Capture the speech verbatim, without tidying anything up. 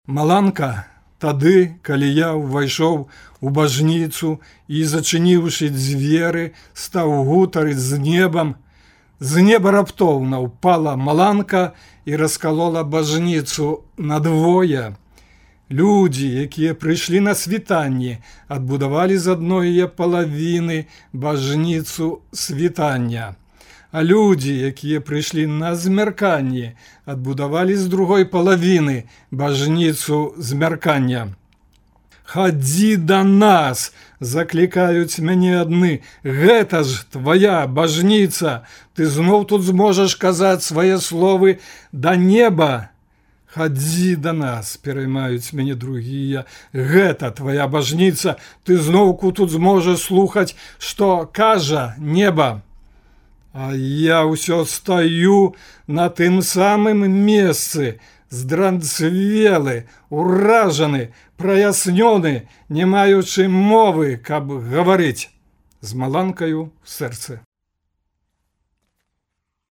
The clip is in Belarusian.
Маланка, тады, калі я ўвайшоў у бажніцу і, зачыніўшы дзверы, стаў гутарыць з небам, з неба раптоўна ўпала маланка і раскалола бажніцу надвое. Людзі, якія прыйшлі на світанне, адбудавалі з адной яе палавіны бажніцу світання. А людзі, якія прыйшлі на змярканне, адбудавалі з другой палавіны бажніцу змяркання. «Хадзі да нас!» – заклікаюць мяне адны. «Гэта ж твая бажніца! Ты зноў тут зможаш казаць свае словы да неба!» «Хадзі да нас!» – пераймаюць мяне другія. «Гэта твая бажніца! Ты зноўку тут зможаш слухаць, што кажа неба!» А я ўсё стаю на тым самым месцы, здранцвелы, уражаны, праяснёны, не маючы мовы, каб гаварыць, з маланкаю ў сэрцы.